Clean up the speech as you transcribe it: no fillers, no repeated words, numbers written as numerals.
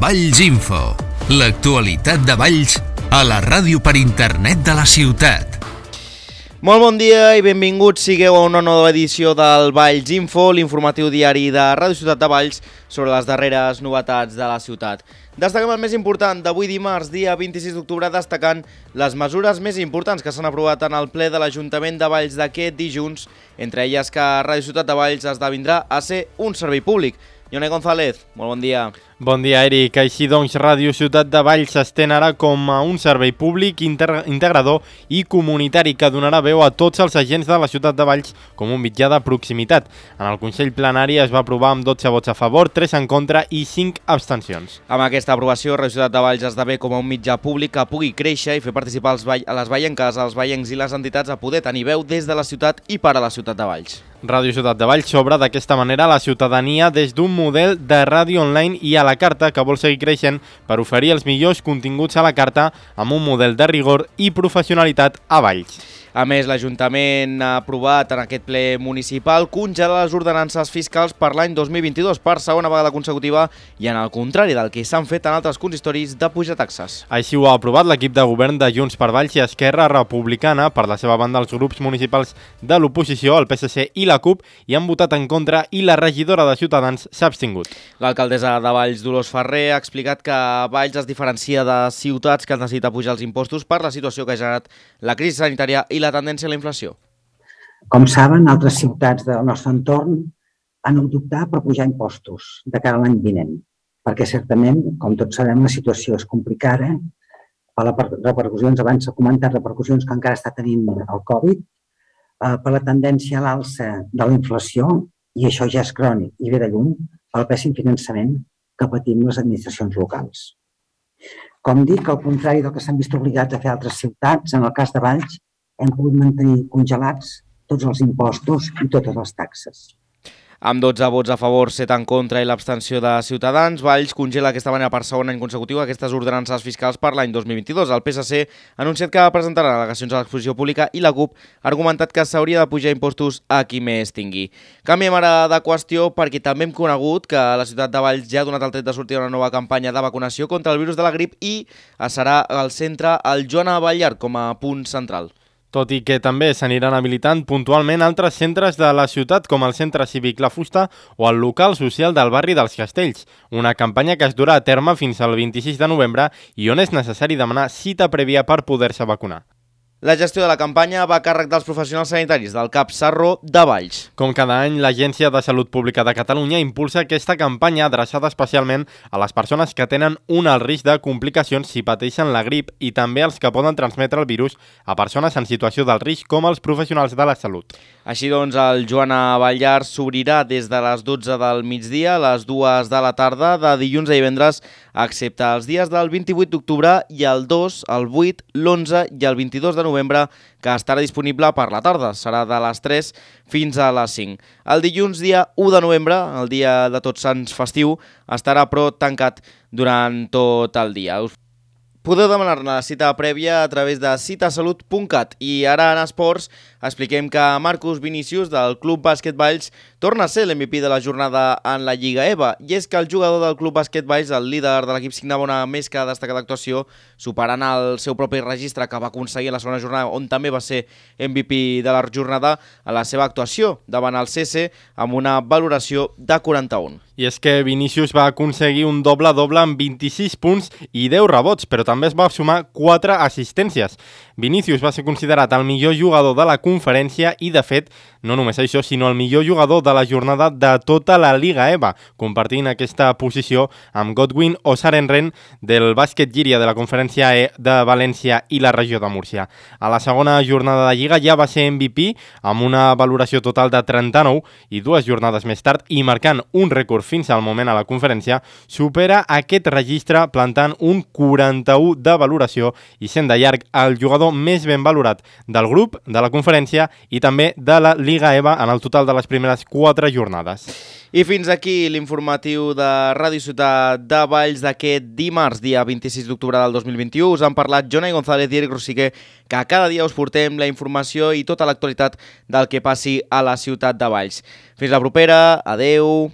Valls Info, l'actualitat de Valls a la ràdio per internet de la ciutat. Molt bon dia i benvinguts sigueu a una nova edició del Valls Info, l'informatiu diari de Ràdio Ciutat de Valls sobre les darreres novetats de la ciutat. Destaquem el més important d'avui dimarts, dia 26 d'octubre, destacant les mesures més importants que s'han aprovat en el ple de l'Ajuntament de Valls d'aquest dilluns, entre elles que Ràdio Ciutat de Valls esdevindrà a ser un servei públic. Ione González, molt bon dia. Bon dia, Eric. Així doncs, Ràdio Ciutat de Valls s'estén ara com a un servei públic integrador i comunitari que donarà veu a tots els agents de la ciutat de Valls com un mitjà de proximitat. En el Consell Plenari es va aprovar amb 12 vots a favor, 3 en contra i 5 abstencions. Amb aquesta aprovació, Ràdio Ciutat de Valls esdevé com a un mitjà públic que pugui créixer i fer participar a les vallenques, els vallencs i les entitats a poder tenir veu des de la ciutat i per a la ciutat de Valls. Ràdio Ciutat de Valls s'obre d'aquesta manera a la ciutadania des d'un model de ràdio online i a la carta que vol seguir creixent per oferir els millors continguts a la carta amb un model de rigor i professionalitat a Valls. A més, l'Ajuntament ha aprovat en aquest ple municipal congelar les ordenances fiscals per l'any 2022 per segona vegada consecutiva i en el contrari del que s'han fet en altres consistoris de pujar taxes. Així ho ha aprovat l'equip de govern de Junts per Valls i Esquerra Republicana. Per la seva banda, els grups municipals de l'oposició, el PSC i la CUP, hi han votat en contra i la regidora de Ciutadans s'ha abstingut. L'alcaldessa de Valls, Dolors Ferrer, ha explicat que Valls es diferencia de ciutats que han decidit apujar els impostos per la situació que ha generat la crisi sanitària i la tendència a la inflació. Com saben, altres ciutats del nostre entorn han d'optar per pujar impostos de cara a l'any vinent, perquè certament, com tots sabem, la situació és complicada per les repercussions, abans s'ha comentat, repercussions que encara està tenint el Covid, per la tendència a l'alça de la inflació, i això ja és crònic i ve de lluny, pel pèssim finançament que patim les administracions locals. Com dic, al contrari del que s'han vist obligats a fer altres ciutats, en el cas de Valls, hem pogut mantenir congelats tots els impostos i totes les taxes. Amb 12 vots a favor, 7 en contra i l'abstenció de Ciutadans, Valls congela d'aquesta manera per segon any consecutiu aquestes ordenances fiscals per l'any 2022. El PSC ha anunciat que presentarà al·legacions a l'exposició pública i la CUP ha argumentat que s'hauria de pujar impostos a qui més tingui. Canviem ara de qüestió perquè també hem conegut que la ciutat de Valls ja ha donat el tret de sortir una nova campanya de vacunació contra el virus de la grip i serà al centre el Joan Abellart com a punt central. Tot i que també s'aniran habilitant puntualment altres centres de la ciutat, com el Centre Cívic La Fusta o el local social del barri dels Castells, una campanya que es durà a terme fins al 26 de novembre i on és necessari demanar cita prèvia per poder-se vacunar. La gestió de la campanya va a càrrec dels professionals sanitaris del CAP Sarro de Valls. Com cada any, l'Agència de Salut Pública de Catalunya impulsa aquesta campanya adreçada especialment a les persones que tenen un alt risc de complicacions si pateixen la grip i també als que poden transmetre el virus a persones en situació d'alt risc com els professionals de la salut. Així doncs, el Joan Abellart s'obrirà des de les 12 del migdia a les 2 de la tarda de dilluns a divendres, excepte els dies del 28 d'octubre i el 2, el 8, l'11 i el 22 de novembre, que estarà disponible per la tarda. Serà de les 3 fins a les 5. El dilluns, dia 1 de novembre, el dia de Tots Sants festiu, estarà però tancat durant tot el dia. Podeu demanar-ne la cita prèvia a través de citasalut.cat. I ara en esports expliquem que Marcus Vinícius del Club Bàsquet Valls torna a ser l'MVP de la jornada en la Lliga EVA. I és que el jugador del Club Bàsquet Valls, el líder de l'equip, signava una més que destacada actuació, superant el seu propi registre que va aconseguir a la segona jornada, on també va ser MVP de la jornada, a la seva actuació davant el CC amb una valoració de 41. I és que Vinícius va aconseguir un doble-doble amb 26 punts i 10 rebots, però també es va sumar 4 assistències. Vinícius va ser considerat el millor jugador de la conferència i, de fet, no només això, sinó el millor jugador de la jornada de tota la Lliga EVA, compartint aquesta posició amb Godwin Osarenren del bàsquet Llíria de la conferència E de València i la regió de Múrcia. A la segona jornada de Lliga ja va ser MVP amb una valoració total de 39 i 2 jornades més tard i marcant un rècord fins al moment a la conferència, supera aquest registre plantant un 41 de valoració i sent de llarg el jugador més ben valorat del grup, de la conferència i també de la Lliga EVA en el total de les primeres 4 jornades. I fins aquí l'informatiu de Ràdio Ciutat de Valls d'aquest dimarts, dia 26 d'octubre del 2021. Us han parlat Jonai González i Eric Rossiquer, que cada dia us portem la informació i tota l'actualitat del que passi a la ciutat de Valls. Fins la propera, adeu!